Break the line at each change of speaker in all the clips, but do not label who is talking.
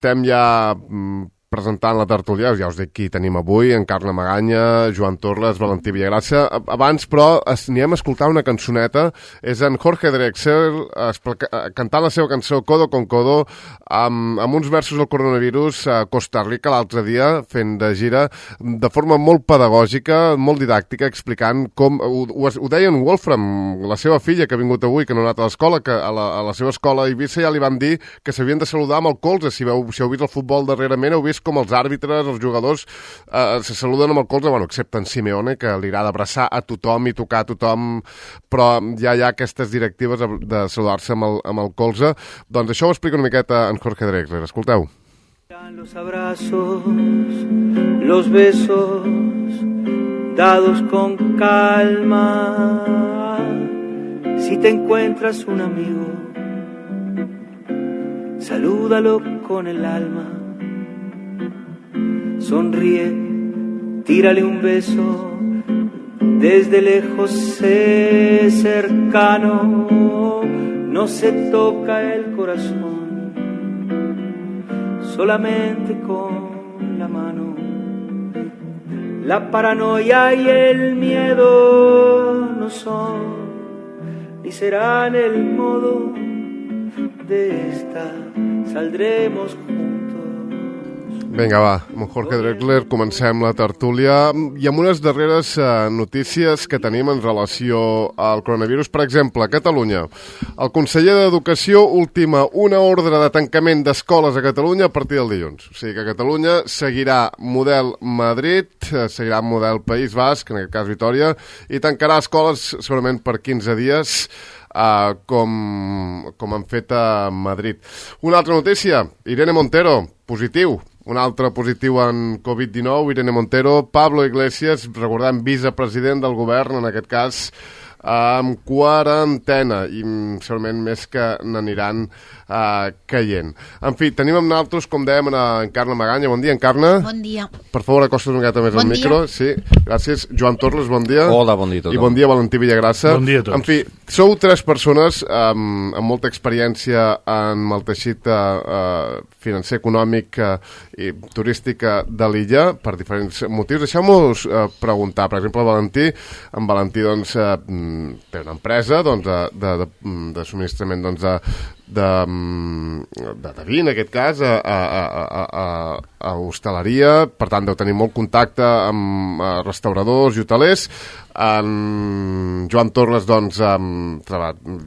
estem ja presentant la tertúlia, ja us dic qui tenim avui, Encarna Maganya, Joan Torres, Valentí Villagrassa. Abans, però, anirem a escoltar una cançoneta. És en Jorge Drexler cantant la seva cançó Codo con Codo amb uns versos del coronavirus a Costa Rica l'altre dia, fent de gira, de forma molt pedagògica, molt didàctica, explicant com... Ho deia en Wolfram, la seva filla, que ha vingut avui, que no ha anat a l'escola, que a la seva escola a Eivissa ja li van dir que s'havien de saludar amb el colze. Si heu vist el futbol darrerament, heu vist com els àrbitres, els jugadors se saluden amb el colze, bueno, excepte en Simeone, que li agrada abraçar a tothom i tocar a tothom, però ja hi ha aquestes directives de saludar-se amb el colze. Doncs això ho explica una miqueta en Jorge Drexler. Escolteu.
Los abrazos, los besos, dados con calma. Si te encuentras un amigo, salúdalo con el alma. Sonríe, tírale un beso, desde lejos sé cercano, no se toca el corazón, solamente con la mano. La paranoia y el miedo no son, ni serán el modo de esta, saldremos juntos.
Vinga, va, amb Jorge Drexler comencem la tertúlia i amb unes darreres notícies que tenim en relació al coronavirus. Per exemple, a Catalunya, el conseller d'Educació ultima una ordre de tancament d'escoles a Catalunya a partir del dilluns. O sigui que Catalunya seguirà model Madrid, seguirà model País Basc, en aquest cas Vitòria, i tancarà escoles segurament per 15 dies, com han fet a Madrid. Una altra notícia, Irene Montero, positiu. Un altre positiu en Covid-19, Irene Montero. Pablo Iglesias, recordem, vicepresident del govern, en aquest cas, amb quarantena, i segurament més que n'aniran caient. En fi, tenim amb nosaltres, com dèiem, en Encarna Maganya. Bon dia, Encarna.
Bon dia.
Per favor, acosta't una miqueta més al micro. Sí, gràcies. Joan Torres, bon dia.
Hola, bon dia a tothom.
I bon dia, Valentí Villagrassa.
Bon dia a tots.
En fi, sou tres persones amb molta experiència en el teixit financer, econòmic i turístic de l'illa, per diferents motius. Deixeu-nos preguntar, per exemple, en Valentí doncs, té una empresa de subministrament de vi, en aquest cas, a hostaleria, per tant deu tenir molt contacte amb restauradors i hotelers. En Joan Torres, doncs,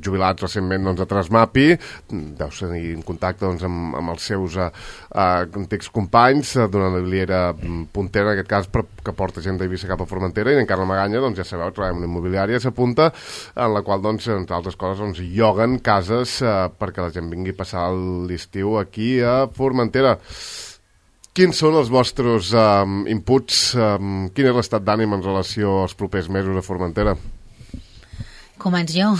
jubilat recentment a Trasmapi, deu tenir en contacte amb els seus antics companys d'una immobiliària puntera, en aquest cas, que porta gent d'Eivissa cap a Formentera, i en Encarna Maganya, doncs, ja sabeu, treballa en una immobiliària, s'apunta, en la qual, doncs, entre altres coses, lloguen cases perquè la gent vingui a passar l'estiu aquí a Formentera. Quins són els vostres inputs? Quin és l'estat d'ànim en relació als propers mesos a Formentera?
Començo jo.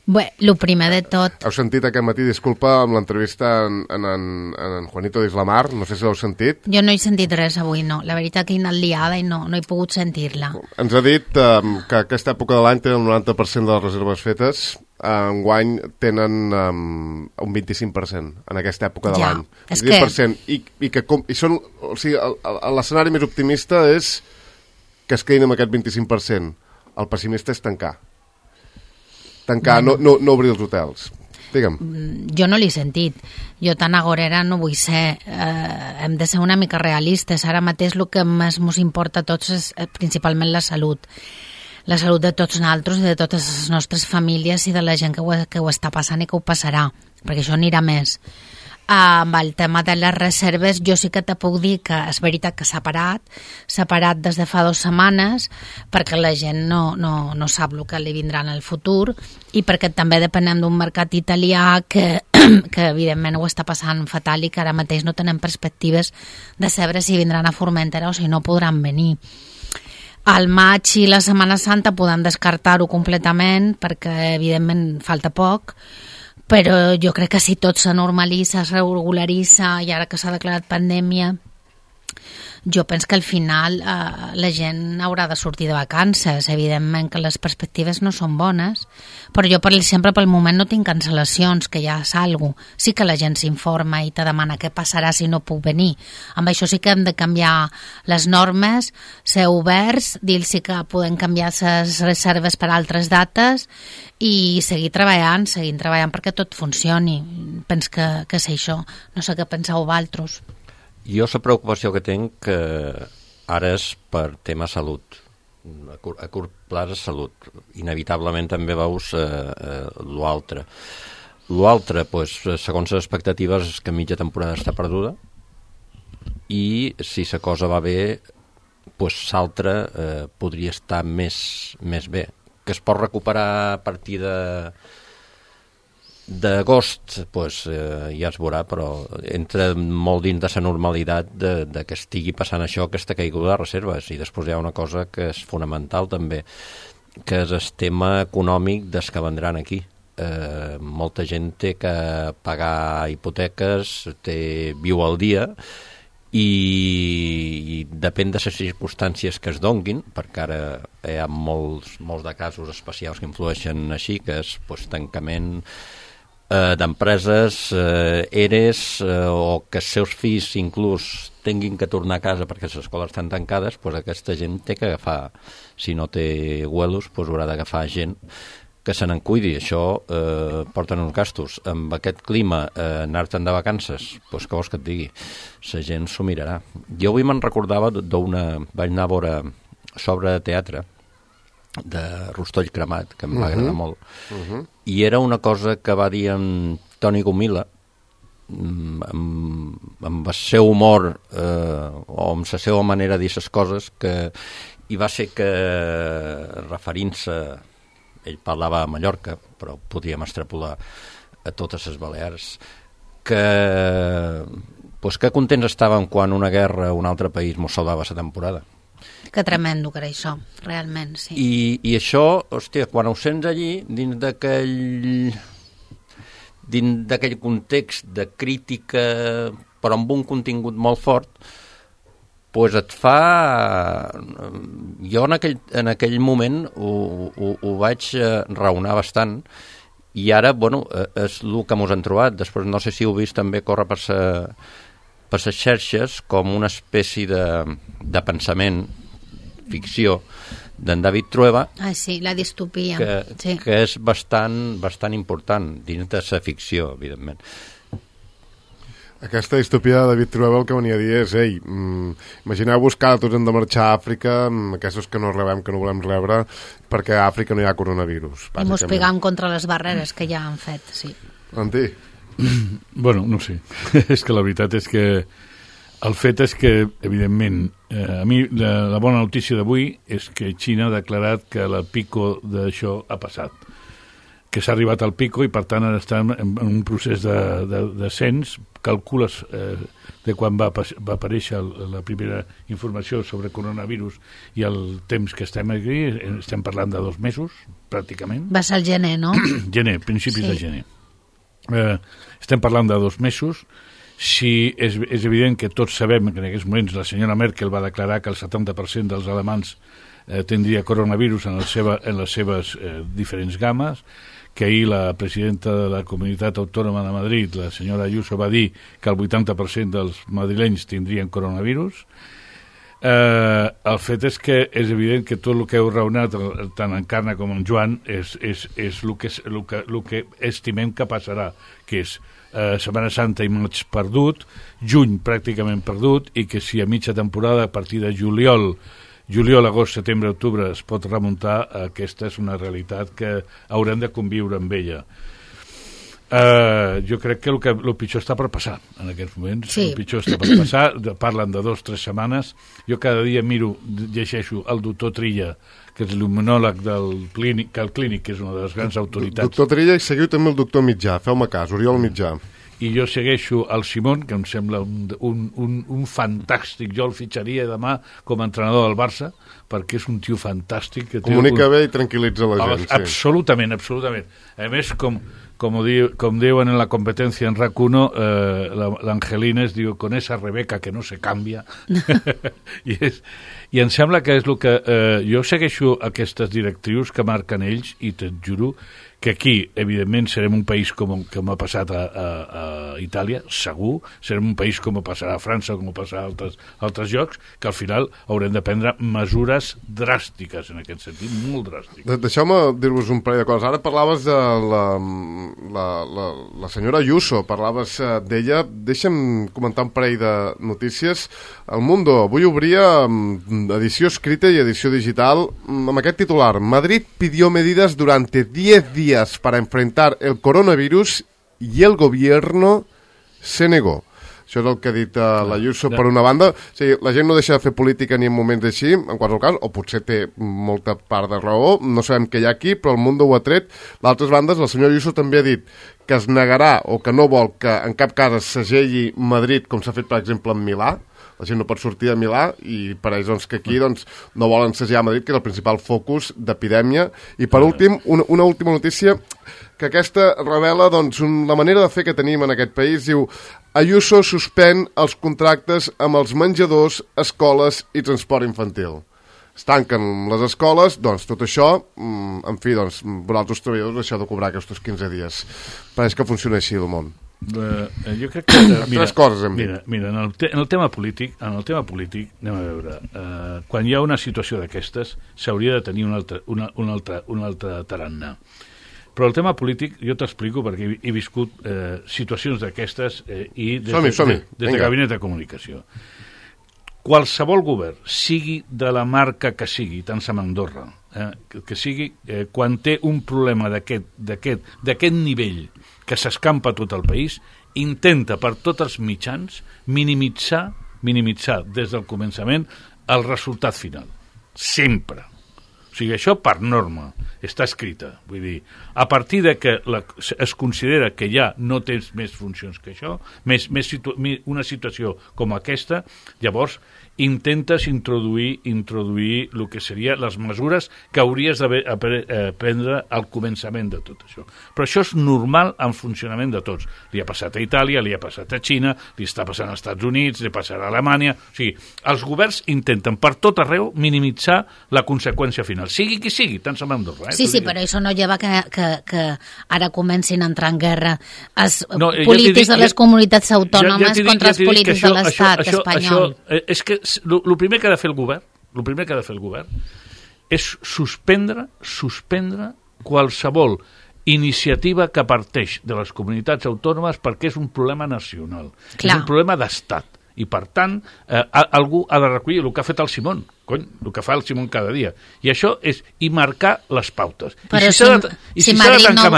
Bé, el primer de tot...
Heu sentit aquest matí, disculpa, amb l'entrevista en Juanito d'Islamar, no sé si l'heu sentit.
Jo no he sentit res avui, no. La veritat que he anat liada i no he pogut sentir-la.
Ens ha dit que aquesta època de l'any tenen el 90% de les reserves fetes, enguany tenen un 25% en aquesta època de l'any.
És
20%. I són, o sigui, l'escenari més optimista és que es quedin amb aquest 25%. El pessimista és tancar, no obrir els hotels. Digue'm.
Jo no l'he sentit. Jo tan agorera no vull ser. Hem de ser una mica realistes. Ara mateix el que més ens importa a tots és principalment la salut. La salut de tots nosaltres, de totes les nostres famílies i de la gent que ho està passant i que ho passarà, perquè això anirà més. Amb el tema de les reserves, jo sí que te puc dir que és veritat que s'ha parat des de fa 2 setmanes, perquè la gent no sap el que li vindrà en el futur i perquè també depenem d'un mercat italià que evidentment ho està passant fatal i que ara mateix no tenen perspectives de saber si vindran a Formentera o si no podran venir. Al maig i la Setmana Santa podem descartar-ho completament perquè evidentment falta poc, però jo crec que si tot se normalitza, es regularitza i ara que s'ha declarat pandèmia jo penso que al final la gent haurà de sortir de vacances. Evidentment que les perspectives no són bones, però jo, per exemple, pel moment no tinc cancel·lacions, que ja salgo. Sí que la gent s'informa i te demana què passarà si no puc venir. Amb això sí que hem de canviar les normes, ser oberts, dir-los que podem canviar les reserves per altres dates i seguir treballant perquè tot funcioni. Penso que és això. No sé què penseu vosaltres.
Jo la preocupació que tinc que ara és per tema salut. A curt plaç és salut. Inevitablement també veus l'altre. L'altre, segons les expectatives, és que mitja temporada està perduda i si la cosa va bé, l'altre podria estar més bé. Que es pot recuperar a partir d'agost, ja es veurà, però entra molt dins de la normalitat de que estigui passant això, aquesta caiguda de reserves. I després hi ha una cosa que és fonamental també, que és el tema econòmic dels que vendran aquí. Molta gent té que pagar hipoteques, viu al dia, i depèn de les circumstàncies que es donguin, perquè ara hi ha molts de casos especials que influeixen així, que és tancament d'empreses, EREs, o que els seus fills inclús tinguin que tornar a casa perquè les escoles estan tancades, aquesta gent té que agafar, si no té huelos, haurà d'agafar gent que se n'en cuidi. Això porta uns gastos. Amb aquest clima, anar-te'n de vacances, què vols que et digui? La gent s'ho mirarà. Jo avui me'n recordava vaig anar a veure sobre teatre de Rostoll Cremat, que em va agradar molt, i era una cosa que va dir en Toni Gomila, amb el seu humor o amb la seva manera de dir les coses, i va ser que, referint-se, ell parlava a Mallorca, però podríem extrapolar a totes les Balears, que contents estàvem quan una guerra o un altre país mos salvava la temporada.
Que tremendo que era això, realment, sí.
I això, hòstia, quan ho sents allí, dins d'aquell context de crítica, però amb un contingut molt fort, et fa... Jo en aquell moment ho vaig raonar bastant, i ara, és el que mos han trobat. Després no sé si heu vist també córrer per les xarxes com una espècie de pensament, ficció, d'en David Trueba.
Ah, sí, la distopia.
Que és bastant important dins de la ficció, evidentment.
Aquesta distopia de David Trueba el que venia a dir és imagineu-vos que tots hem de marxar a Àfrica, aquests que no rebem, que no volem rebre, perquè a Àfrica no hi ha coronavirus.
I mos pegam contra les barreres que ja han fet, sí.
Antti?
Bueno, no sé. És que la veritat és que el fet és que, evidentment, a mi la bona notícia d'avui és que Xina ha declarat que el pico d'això ha passat, que s'ha arribat al pico i per tant ara estem en un procés de descens. Calcules de quan va aparèixer la primera informació sobre coronavirus i el temps que estem aquí, estem parlant de 2 mesos, pràcticament.
Va ser el gener, no?
Gener, principis de gener. Estem parlant de 2 mesos. Sí, és evident que tots sabem que en aquests moments la senyora Merkel va declarar que el 70% dels alemans tindria coronavirus en les seves diferents games, que ahir la presidenta de la Comunitat Autònoma de Madrid, la senyora Ayuso, va dir que el 80% dels madrilenys tindrien coronavirus. El fet és que és evident que tot el que heu raonat, tant en Carna com en Joan, és el que estimem que passarà, que és Setmana Santa i maig perdut, juny pràcticament perdut, i que si a mitja temporada, a partir de juliol, agost, setembre, octubre es pot remuntar, aquesta és una realitat que haurem de conviure amb ella. Jo crec que el pitjor està per passar en aquests moments. Sí. El pitjor està per passar, parlen de 2 o 3 setmanes. Jo cada dia llegeixo el doctor Trilla, que és l'immunòleg del Clínic, que és una de les grans autoritats.
Doctor Trilla, i seguiu també el doctor Mitjà, feu-me cas, Oriol Mitjà.
I jo segueixo el Simón, que em sembla un fantàstic. Jo el fitxaria demà com a entrenador del Barça, perquè és un tio fantàstic. Que
comunica bé i tranquil·litza la gent.
Absolutament. A més, com como diuen en la competencia en RAC1, l'Angelina es diu con esa Rebeca que no se canvia. I em sembla que és el que... jo segueixo aquestes directrius que marquen ells i te't juro que aquí, evidentment, serem un país com ha passat a Itàlia, segur, serem un país com passarà a França, com passarà a altres llocs, que al final haurem de prendre mesures dràstiques en aquest sentit, molt dràstiques.
Deixeu-me dir-vos un parell de coses. Ara parlaves de la senyora Ayuso, parlaves d'ella. Deixa'm comentar un parell de notícies. El Mundo avui obria edició escrita i edició digital amb aquest titular: Madrid pidió medidas durante 10 días para enfrentar el coronavirus y el gobierno se negó. Això és el que ha dit l'Ayuso per una banda. O sigui, la gent no deixa de fer política ni en moments així, en qualsevol cas, o potser té molta part de raó, no sabem què hi ha aquí, però el Mundo ho ha tret. D'altres bandes, la senyora Ayuso també ha dit que es negarà o que no vol que en cap cas es segelli Madrid, com s'ha fet, per exemple, en Milà. La gent no pot sortir de Milà i pareix doncs, que aquí doncs, no volen segellar Madrid, que és el principal focus d'epidèmia. I per últim, una última notícia, que aquesta revela doncs, la manera de fer que tenim en aquest país. Diu: Ayuso suspèn els contractes amb els menjadors, escoles i transport infantil. Es tanquen les escoles, doncs tot això, en fi, doncs, vosaltres treballadors deixeu de cobrar aquests 15 dies. Pareix que funciona així el món.
Jo crec que...
Tres coses hem dit.
Mira, en el tema polític, anem a veure, quan hi ha una situació d'aquestes, s'hauria de tenir un altre tarannà. Però el tema polític, jo t'explico, perquè he viscut situacions d'aquestes i des de Gabinet de Comunicació. Qualsevol govern, sigui de la marca que sigui, tant som Andorra, que sigui, quan té un problema d'aquest nivell que s'escampa tot el país, intenta per tots els mitjans minimitzar des del començament el resultat final. Sempre. O sigui, això per norma està escrita. Vull dir, a partir de que es considera que ja no tens més funcions que això, una situació com aquesta, llavors intentes introduir el que seria les mesures que hauries de prendre al començament de tot això. Però això és normal en funcionament de tots. Li ha passat a Itàlia, li ha passat a Xina, li està passant als Estats Units, li passarà a Alemanya. O sigui, els governs intenten per tot arreu minimitzar la conseqüència final. Sigui qui sigui, tant som Andorra.
Sí, però això no lleva que ara comencin a entrar en guerra els polítics de les comunitats autònomes contra els polítics de l'estat espanyol.
És que el primer que ha de fer el govern és suspendre qualsevol iniciativa que parteix de les comunitats autònomes, perquè és un problema nacional. Clar. És un problema d'estat. I, per tant, algú ha de recollir el que ha fet el Simón, el que fa el Simón cada dia. I això és marcar les pautes. I si s'ha de tancar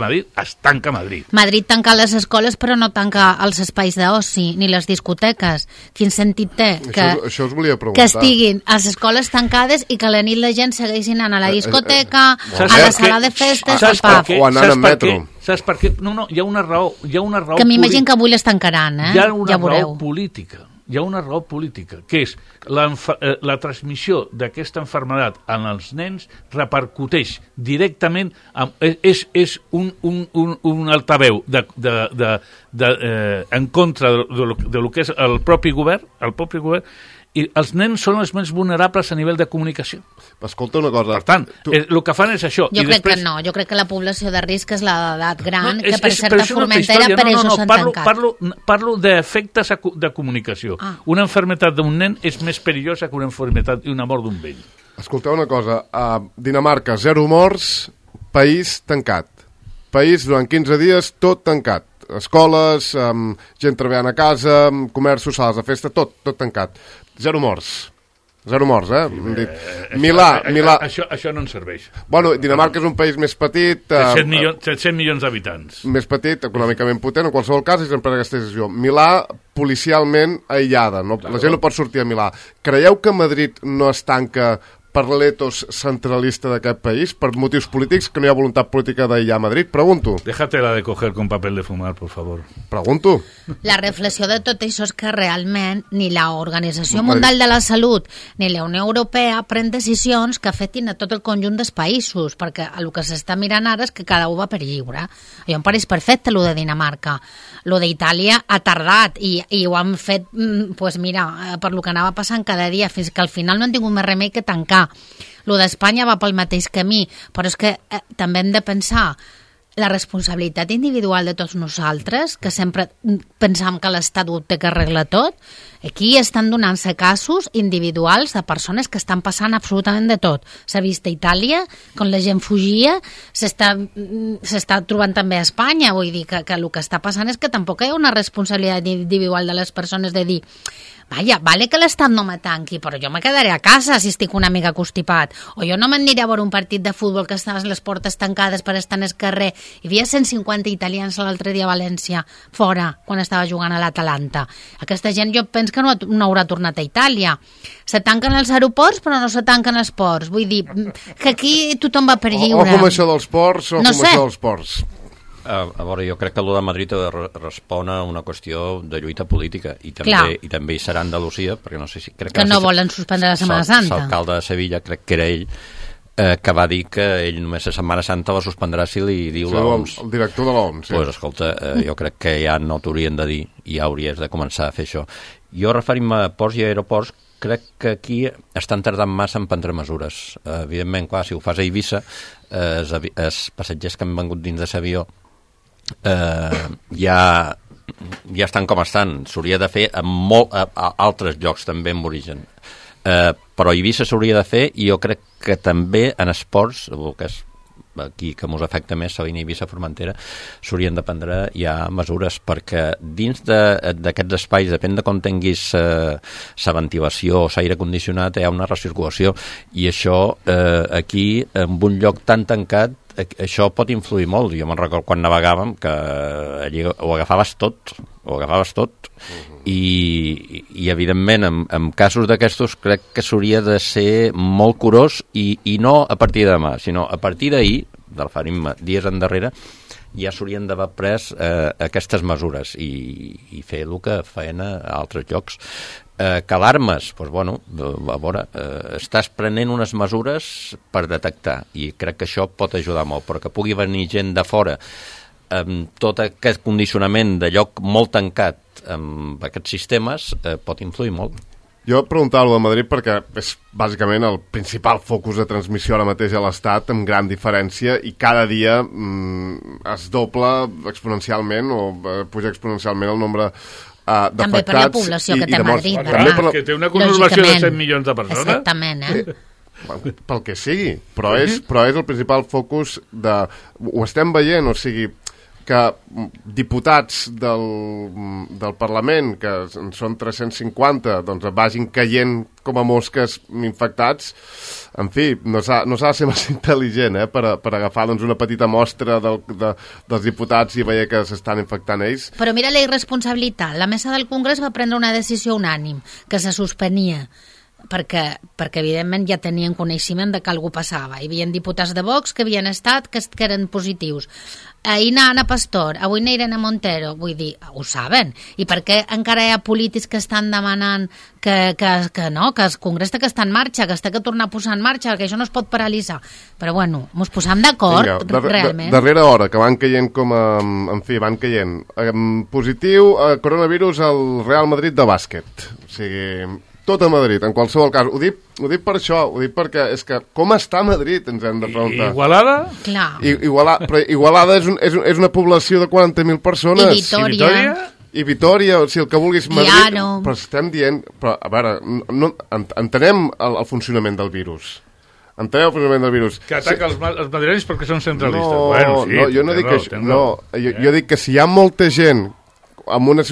Madrid, es tanca Madrid.
Madrid tanca les escoles, però no tanca els espais d'oci, ni les discoteques. Quin sentit té
això us volia preguntar.
Que estiguin les escoles tancades i que a la nit la gent segueixi anant a la discoteca, a la sala de festes, al pub.
O anant en metro.
Saps per què? No, hi ha una raó
que m'imagino que avui les tancaran,
Hi ha una raó política. Hi ha una raó política, que és la transmissió d'aquesta malaltia en els nens repercuteix directament, és un altaveu en contra de lo que és el propi govern, i els nens són els més vulnerables a nivell de comunicació.
Escolta una cosa.
Per tant, el que fan és això.
Jo crec que no, jo crec que la població de risc és l'edat gran, que per certa Formentera per això s'han tancat.
Parlo d'efectes de comunicació. Una malaltia d'un nen és més perillosa que una malaltia i una mort d'un vell.
Escolteu una cosa, a Dinamarca, 0 morts, país tancat. País durant 15 dies, tot tancat. Escoles, gent treballant a casa, comerços, sales de festa, tot tancat. 0 morts. 0 morts, Milà.
Això no ens serveix.
Bueno, Dinamarca és un país més petit...
700 milions d'habitants.
Més petit, econòmicament potent, en qualsevol cas, és sempre aquesta decisió. Milà, policialment aïllada, la gent no pot sortir a Milà. Creieu que Madrid no es tanca per l'etos centralista d'aquest país, per motius polítics, que no hi ha voluntat política d'aïllar Madrid? Pregunto.
Déjatela de coger con papel de fumar, por favor.
Pregunto.
La reflexió de tot això és que realment ni l'Organització Mundial de la Salut ni la Unió Europea pren decisions que afectin a tot el conjunt dels països, perquè el que s'està mirant ara és que cada un va per lliure. Jo em pareix perfecte, el de Dinamarca. Lo d'Itàlia ha tardat i ho han fet, pues mira, per lo que anava passant cada dia, fins que al final no han tingut més remei que tancar. Lo d'Espanya va pel mateix camí, però és que també hem de pensar la responsabilitat individual de tots nosaltres, que sempre pensam que l'Estat ho té que arreglar tot. Aquí estan donant-se casos individuals de persones que estan passant absolutament de tot. S'ha vist a Itàlia, quan la gent fugia, s'està trobant també a Espanya. Vull dir que el que està passant és que tampoc hi ha una responsabilitat individual de les persones de dir vaja, vale que l'Estat no me tanqui, però jo me quedaré a casa si estic una mica constipat. O jo no m'aniré a veure un partit de futbol que estan les portes tancades per estar en el carrer. Hi havia 150 italians l'altre dia a València, fora, quan estava jugant a l'Atalanta. Aquesta gent jo penso que no haurà tornat a Itàlia. Se tanquen els aeroports, però no se tanquen els ports. Vull dir, que aquí tothom va per lliure.
O com això dels ports, o
no
com
sé.
això dels ports.
A veure, jo crec que el de Madrid respon a una qüestió de lluita política i també hi serà Andalusia, perquè no sé si... Crec
que no volen suspendre la Setmana Santa.
L'alcalde de Sevilla, crec que era ell, que va dir que ell només la Setmana Santa la suspendrà si li diu l'OMS.
El director de l'OMS, sí.
Pues, escolta, jo crec que ja no t'haurien de dir i ja hauries de començar a fer això. Jo, referint-me a ports i aeroports, crec que aquí estan tardant massa en prendre mesures. Evidentment, clar, si ho fas a Eivissa, els passatgers que han vengut dins de l'avió ja estan com estan. S'hauria de fer a altres llocs també amb origen. Però a Eivissa s'hauria de fer i jo crec que també en esports, el que és aquí que mos afecta més, Salina, Eivissa, Formentera, s'haurien de prendre ja mesures, perquè dins d'aquests espais, depèn de com tinguis la ventilació o l'aire condicionat, hi ha una recirculació, i això aquí, en un lloc tan tancat, això pot influir molt. Jo me'n recordo quan navegàvem que allí ho agafaves tot i evidentment en casos d'aquestos crec que s'hauria de ser molt curós i no a partir de demà, sinó a partir d'ahir, del farim dies endarrere, ja s'haurien d'haver pres aquestes mesures i fer el que feien a altres llocs. Que alarmes, doncs bueno, a veure, estàs prenent unes mesures per detectar i crec que això pot ajudar molt, però que pugui venir gent de fora amb tot aquest condicionament de lloc molt tancat amb aquests sistemes pot influir molt.
Jo preguntava-ho de Madrid perquè és bàsicament el principal focus de transmissió ara mateix a l'Estat, amb gran diferència, i cada dia es dobla exponencialment o puja exponencialment el nombre
també per la població que té Madrid,
que té una conurbació de 100 milions de persones.
Exactament,
pel que sigui, però és el principal focus de... Ho estem veient, o sigui, que diputats del Parlament, que són 350, doncs vagin caient com a mosques infectats. En fi, no s'ha de ser massa intel·ligent per agafar una petita mostra dels diputats i veure que s'estan infectant ells.
Però mira la irresponsabilitat. La mesa del Congrés va prendre una decisió unànim, que se suspenia, perquè evidentment ja tenien coneixement de que algú passava. Hi havia diputats de Vox que havien estat, que eren positius. Ahir Ana Pastor, avui Irene Montero, vull dir, ho saben. I per què encara hi ha polítics que estan demanant que no, que el Congrés té que estar en marxa, que es té que tornar a posar en marxa, que això no es pot paralitzar. Però bueno, mos posam d'acord, realment.
Darrera hora, que van caient en fi, van caient. Positiu, coronavirus al Real Madrid de bàsquet. O sigui... Tot a Madrid, en qualsevol cas. Ho dic per això, ho dic perquè és que com està Madrid, ens hem de preguntar.
Igualada?
Clar.
Però Igualada és una població de 40.000 persones.
I Vitòria?
I Vitòria, o sigui, el que vulguis Madrid.
Piano.
Però estem dient... Però, a veure, entenem el funcionament del virus. Entenem el funcionament del virus.
Que ataca els madrilenys perquè són centralistes.
No,
bueno, sí,
no, jo no dic això. No, jo dic que si hi ha molta gent en una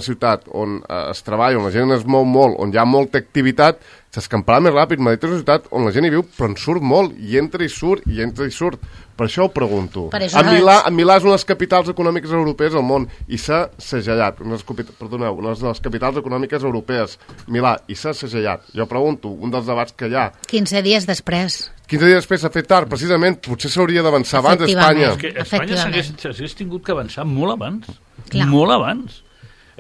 ciutat on es treballa, on la gent es mou molt, on hi ha molta activitat, s'escamparà més ràpid. Madrid és una ciutat on la gent hi viu, però en surt molt, i entra i surt, i entra i surt. Per això ho pregunto. A Milà és una de les capitals econòmiques europees del món, i s'ha segellat. Una de les capitals econòmiques europees, Milà, i s'ha segellat. Jo pregunto, un dels debats que hi ha...
15 dies després.
15 dies després s'ha fet tard, precisament, potser s'hauria d'avançar abans a Espanya.
És que Espanya s'hagués tingut que avançar molt abans. Clar. Molt abans.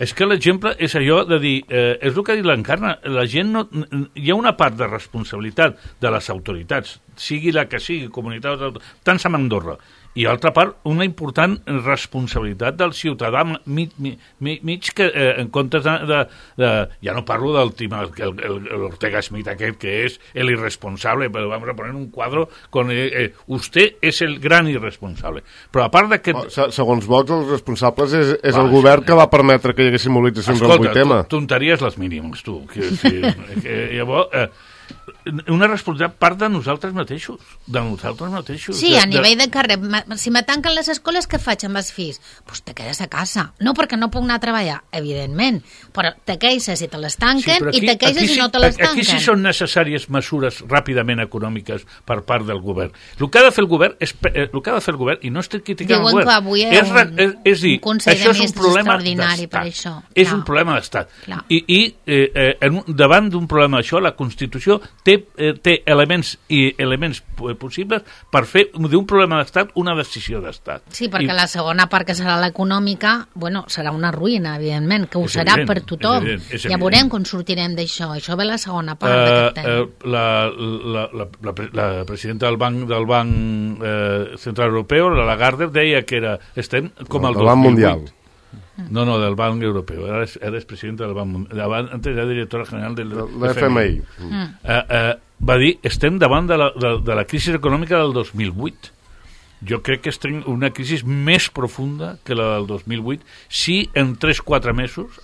És que l'exemple és allò de dir, és el que ha dit l'Encarna, la gent no... Hi ha una part de responsabilitat de les autoritats, sigui la que sigui, comunitat, tant som a Andorra, i altra part, una important responsabilitat del ciutadà mig que en comptes de ja no parlo del tema, l'Ortega Smith aquest, que és el irresponsable, però vamos a poner un quadro con usted és el gran irresponsable. Però a part d'aquest...
Segons Vox, els responsables és el govern que va permetre que hi haguessin mobilitzacions al 8M.
Tonteries les mínimes, tu. Llavors... una responsabilitat part de nosaltres mateixos.
Sí, a nivell de carrer. Si me tanquen les escoles, què faig amb els fills? Pues te quedes a casa. No perquè no puc anar a treballar, evidentment, però te queixes si te les tanquen i te queixes si no te les tanquen.
Aquí sí són necessàries mesures ràpidament econòmiques per part del govern. El que ha de fer el govern, i no estic criticant el govern,
que avui
és dir, això és un problema d'estat. És un problema d'estat. I davant d'un problema d'això, la Constitució té elements possibles per fer d'un problema d'estat una decisió d'estat.
Sí, perquè la segona part, que serà l'econòmica, bueno, serà una ruïna, evidentment, que ho serà per tothom. Ja veurem com sortirem d'això. Això ve la segona part d'aquest tema.
La presidenta del Banc Central Europeu, la Lagarde, deia que estem com el 2008.
Mundial.
No, del Banc Europeu. Ara és presidenta del Banc Mundial. Antes era directora general del
FMI.
Va dir, estem davant de la crisi econòmica del 2008. Jo crec que estem en una crisi més profunda que la del 2008 si en 3-4 mesos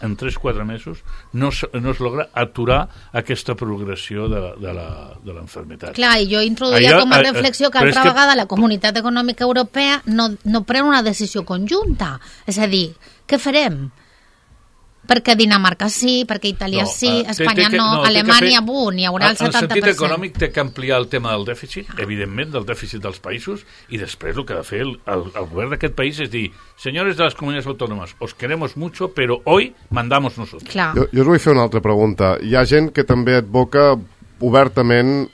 no es logra aturar aquesta progressió de l'enfermetat.
Clar, i jo introduïa com a reflexió que altra vegada la Comunitat Econòmica Europea no pren una decisió conjunta. És a dir, què farem? Perquè Dinamarca sí, perquè Itàlia sí, Espanya no, Alemanya n'hi haurà el 70%.
En el sentit econòmic té que ampliar el tema del dèficit, evidentment, del dèficit dels països, i després el que ha de fer el govern d'aquest país és dir, senyores de les comunitats autònomes, os queremos mucho, però hoy mandamos nosotros.
Jo us vull fer una altra pregunta. Hi ha gent que també advoca obertament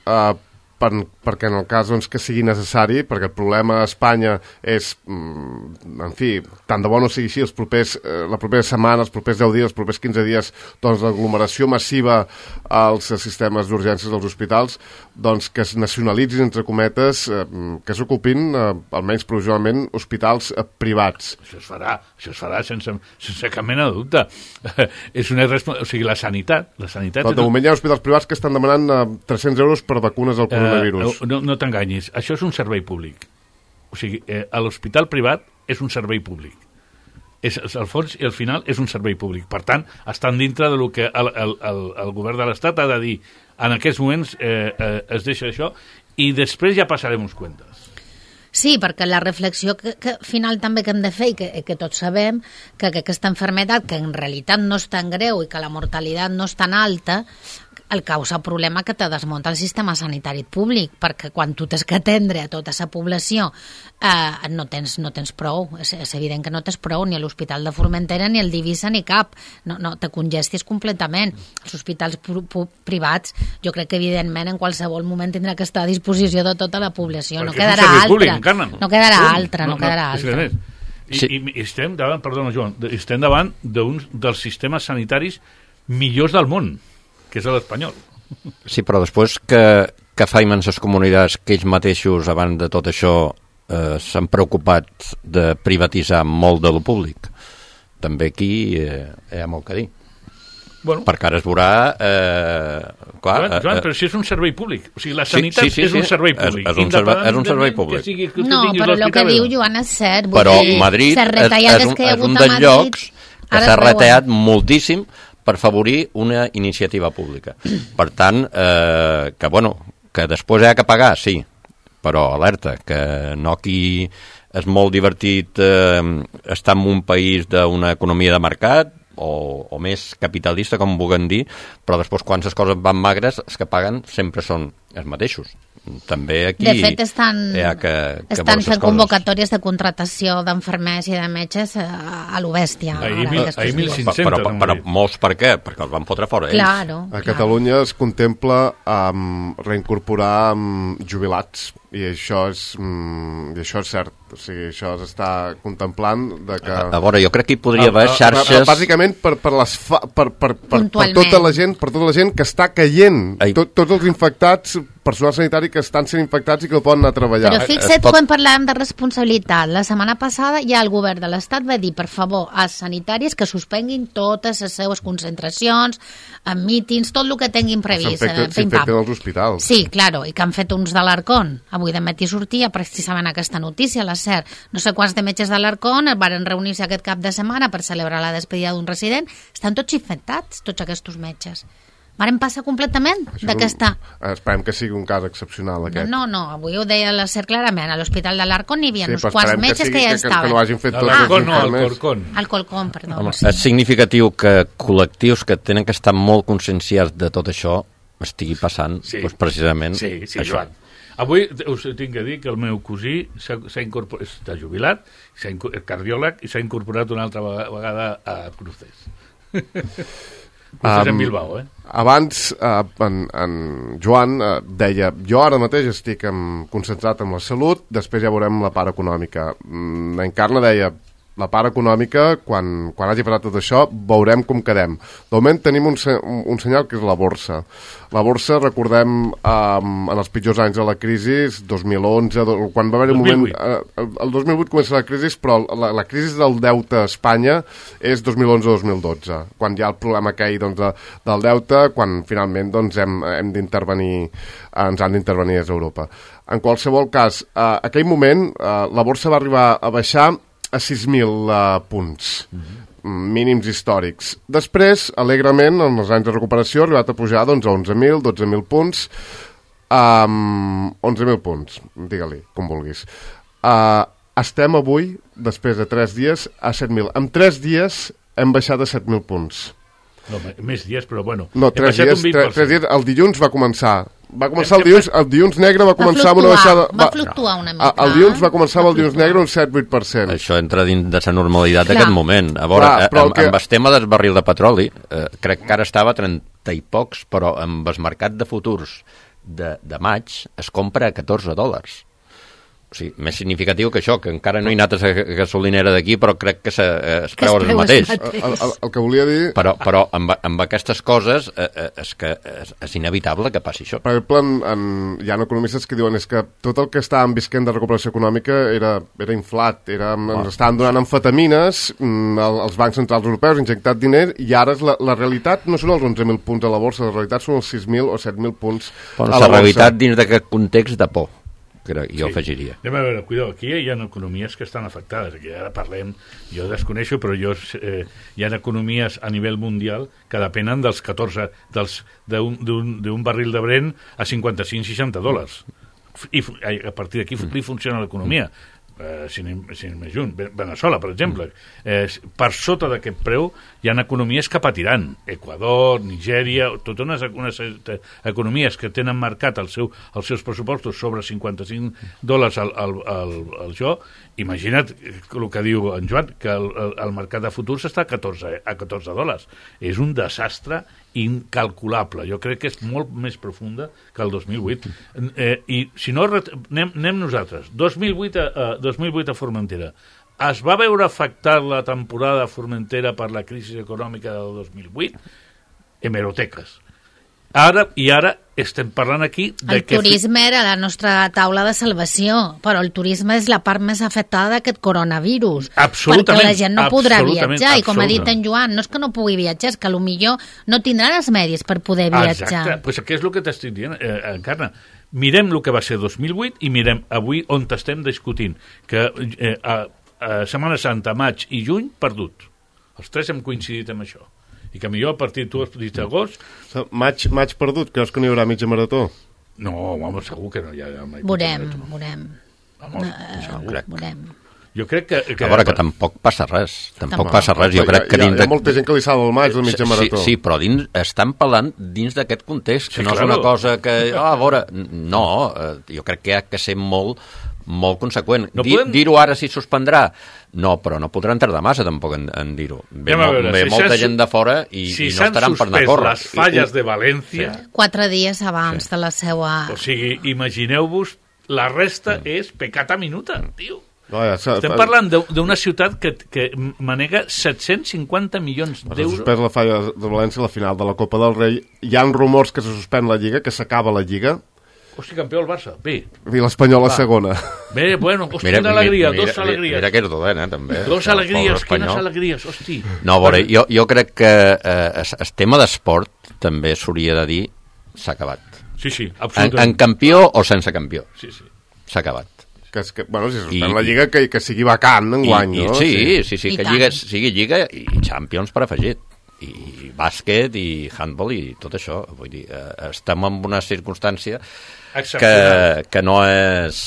perquè en el cas que sigui necessari, perquè el problema a Espanya és, en fi, tant de bo no sigui així, la propera setmana, els propers 10 dies, els propers 15 dies, doncs l'aglomeració massiva als sistemes d'urgències dels hospitals, doncs que es nacionalitzin, entre cometes, que s'ocupin, almenys provisionalment, hospitals privats.
Això es farà sense cap mena de dubte. És una o sigui, la sanitat...
Però de moment hi ha hospitals privats que estan demanant 300 euros per vacunes al coronavirus.
No t'enganyis, això és un servei públic. O sigui, l'hospital privat és un servei públic. Al fons i al final és un servei públic. Per tant, estan dintre del que el govern de l'Estat ha de dir. En aquests moments es deixa això i després ja passarem uns comptes.
Sí, perquè la reflexió que final també que hem de fer i que tots sabem que aquesta malaltia, que en realitat no és tan greu i que la mortalitat no és tan alta, el causa problema que te desmunta el sistema sanitari públic, perquè quan tu tens que atendre a tota la població no tens prou, és evident que no tens prou, ni a l'Hospital de Formentera, ni al Divisa, ni cap, no te congestis completament. Els hospitals privats, jo crec que evidentment en qualsevol moment tindrà que estar a disposició de tota la població, no quedarà altra.
I estem davant, perdona Joan, estem davant d'un dels sistemes sanitaris millors del món, que és l'espanyol.
Sí, però després que faim en les comunitats que ells mateixos, abans de tot això, s'han preocupat de privatitzar molt de lo públic. També aquí hi ha molt que dir. Bueno. Perquè ara es veurà...
Joan, però si és un servei públic. O sigui, la sanitat és un servei públic.
És un servei públic.
No, però el que diu Joan és cert.
Però Madrid és un dels llocs que s'ha retallat moltíssim per favorir una iniciativa pública. Per tant, que després hi ha que pagar, sí, però alerta, que no aquí és molt divertit estar en un país d'una economia de mercat o més capitalista, com vulguem dir, però després quan les coses van magres, els que paguen sempre són els mateixos. També aquí...
De fet, estan fent convocatòries de contratació d'enfermers i de metges a lo bèstia.
Ahir 1.500.
Però molts per què? Perquè els van fotre fora ells.
Claro.
A Catalunya es contempla reincorporar jubilats i això és cert. O sigui, això s'està contemplant de que...
A veure, jo crec que hi podria haver xarxes...
Bàsicament per tota la gent que està caient. Tots els infectats, personal sanitari que estan sent infectats i que poden anar a treballar.
Però fixa't, quan parlàvem de responsabilitat, la setmana passada ja el govern de l'Estat va dir, per favor, als sanitaris que suspenguin totes les seues concentracions, mítings, tot el que tinguin previst.
S'infecten als hospitals.
Sí, claro, i que han fet uns de l'Arcón. Avui de matí sortia precisament aquesta notícia, la CER. No sé quants de metges de l'Arcón van reunir-se aquest cap de setmana per celebrar la despedida d'un resident. Estan tots infectats, tots aquests metges. Varen passar completament d'aquesta...
Esperem que sigui un cas excepcional, aquest.
No, avui ho deia la SER clarament. A l'Hospital de l'Arcón hi havia uns quants metges que ja estaven.
Que no hagin fet tots
els informes.
Al Colcón, perdó.
Home, és significatiu que col·lectius que tenen que estar molt conscienciats de tot això estigui passant precisament això.
Joan. Avui us tinc que dir que el meu cosí s'ha incorporat, està jubilat, és cardiòleg i s'ha incorporat una altra vegada a Cruces. Cruces en Bilbao,
Abans en Joan deia, jo ara mateix estic concentrat en la salut, després ja veurem la part econòmica. Encarna deia, la part econòmica, quan hagi passat tot això, veurem com quedem. De moment tenim un senyal que és la borsa. La borsa, recordem, en els pitjors anys de la crisi, 2011, quan va haver un moment... El 2008 comença la crisi, però la crisi del deute a Espanya és 2011-2012, quan hi ha el problema aquell del deute, quan finalment hem d'intervenir, ens han d'intervenir des d'Europa. En qualsevol cas, aquell moment, la borsa va arribar a baixar a 6.000 punts, mínims històrics. Després, alegrement, en els anys de recuperació, ha arribat a pujar a 11.000, 12.000 punts, 11.000 punts, digue-li, com vulguis. Estem avui, després de 3 dies, a 7.000. En 3 dies hem baixat a 7.000 punts.
No, més dies, però bueno.
No, 3 dies, el dilluns va començar. El dilluns negre va començar amb una baixada...
Va fluctuar una mica.
El dilluns va començar amb el dilluns negre un 7-8%.
Això entra dins de la normalitat d'aquest moment. A veure, amb el tema del barril de petroli, crec que ara estava a 30 i pocs, però amb el mercat de futurs de maig es compra a $14. O sigui, més significatiu que això, que encara no he anat a la gasolinera d'aquí, però crec que es preu el mateix.
El que volia dir...
Però amb aquestes coses és inevitable que passi això.
Per exemple, hi ha economistes que diuen que tot el que estàvem visquent de recuperació econòmica era inflat, ens estaven donant amfetamines, els bancs centrals europeus injectat diner, i ara la realitat no són els 11.000 punts a la borsa, la realitat són els 6.000 o 7.000 punts a la borsa.
La realitat dins d'aquest context de por. Jo afegiria.
Anem a veure, cuidado, aquí hi ha economies que estan afectades, aquí ara parlem, jo desconeixo, però hi ha economies a nivell mundial que depenen dels 14, d'un barril de Brent a $55-60. I a partir d'aquí funciona l'economia. Sin més junt, Veneçuela, per exemple, per sota d'aquest preu hi ha economies que patiran, Equador, Nigèria, totes unes economies que tenen marcat els seus pressupostos sobre $55 al jo. Imagina't el que diu en Joan, que el mercat de futurs està a $14. És un desastre incalculable. Jo crec que és molt més profunda que el 2008. I si no, anem nosaltres. 2008 a Formentera. Es va veure afectar la temporada a Formentera per la crisi econòmica del 2008? Hemeroteques. Ara estem parlant aquí...
El turisme era la nostra taula de salvació, però el turisme és la part més afectada d'aquest coronavirus.
Absolutament.
Perquè la gent no podrà viatjar, i com ha dit en Joan, no és que no pugui viatjar, és que potser no tindran els medis per poder viatjar.
Exacte, doncs què és el que t'estic dient, Encarna? Mirem el que va ser 2008 i mirem avui on estem discutint, que a Setmana Santa, maig i juny, perdut. Els tres hem coincidit amb això. I que millor a partir, tu has dit agost...
Maig perdut, creus que no hi haurà mitja marató?
No, home, segur que no hi ha...
Veurem.
Home, segur. Jo crec que...
A veure, que tampoc passa res. Tampoc passa res. Jo crec que
hi ha molta gent que li salva el maig del mitja marató.
Sí, però estan parlant dins d'aquest context, que no és una cosa que... a veure, no, jo crec que ha que ser molt conseqüent. Dir-ho ara si suspendrà, no, però no podran tardar massa tampoc en dir-ho. Ve molta gent de fora i no estaran per anar a córrer.
Si s'han suspès les falles de València...
4 dies abans de la seva...
O sigui, imagineu-vos, la resta és pecata minuta, tio. Estem parlant d'una ciutat que manega 750 milions d'euros.
S'ha suspès la falla de València a la final de la Copa del Rei. Hi ha rumors que se suspèn la Lliga, que s'acaba la Lliga.
Hosti, campió el Barça, bé.
I l'Espanyol a segona.
Bé, bueno, hosti, quina alegria, dos alegries.
Mira que és dolent, també.
Dos alegries, quines alegries, hosti.
No, a veure, jo crec que el tema d'esport també s'hauria de dir s'ha acabat.
Sí, absolutament.
En campió o sense campió.
Sí.
S'ha acabat. Bueno, si suspèn la Lliga, que sigui vacant enguany, no?
Sí, que sigui Lliga i Champions per afegit. I bàsquet, i handball, i tot això. Vull dir, estem en una circumstància que no és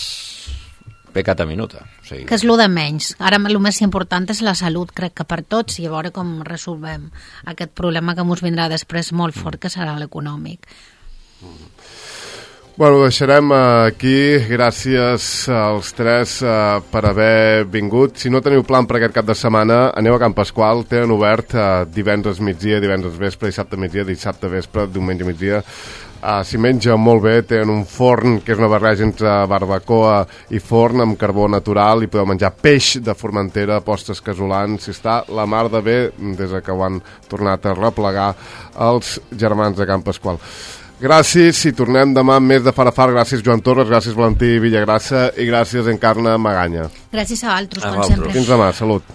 pecata minuta. O sigui,
que és el de menys. Ara el més important és la salut, crec que per tots, i a veure com resolvem aquest problema que ens vindrà després molt fort, que serà l'econòmic.
Bueno, deixarem aquí. Gràcies als tres per haver vingut. Si no teniu plan per aquest cap de setmana, aneu a Can Pasqual. Tenen obert divendres migdia, divendres vespre, dissabte migdia, dissabte vespre, diumenge migdia. S'hi menja molt bé. Tenen un forn que és una barreja entre barbacoa i forn amb carbó natural, i podeu menjar peix de Formentera, postres casolans. Si està la mar de bé des que ho han tornat a replegar els germans de Can Pasqual. Gràcies, i tornem demà amb més de Far a Far. Gràcies, Joan Torres, gràcies, Valentí Villagrassa, i gràcies, Encarna Maganya.
Gràcies a altres, com sempre.
Fins demà, salut.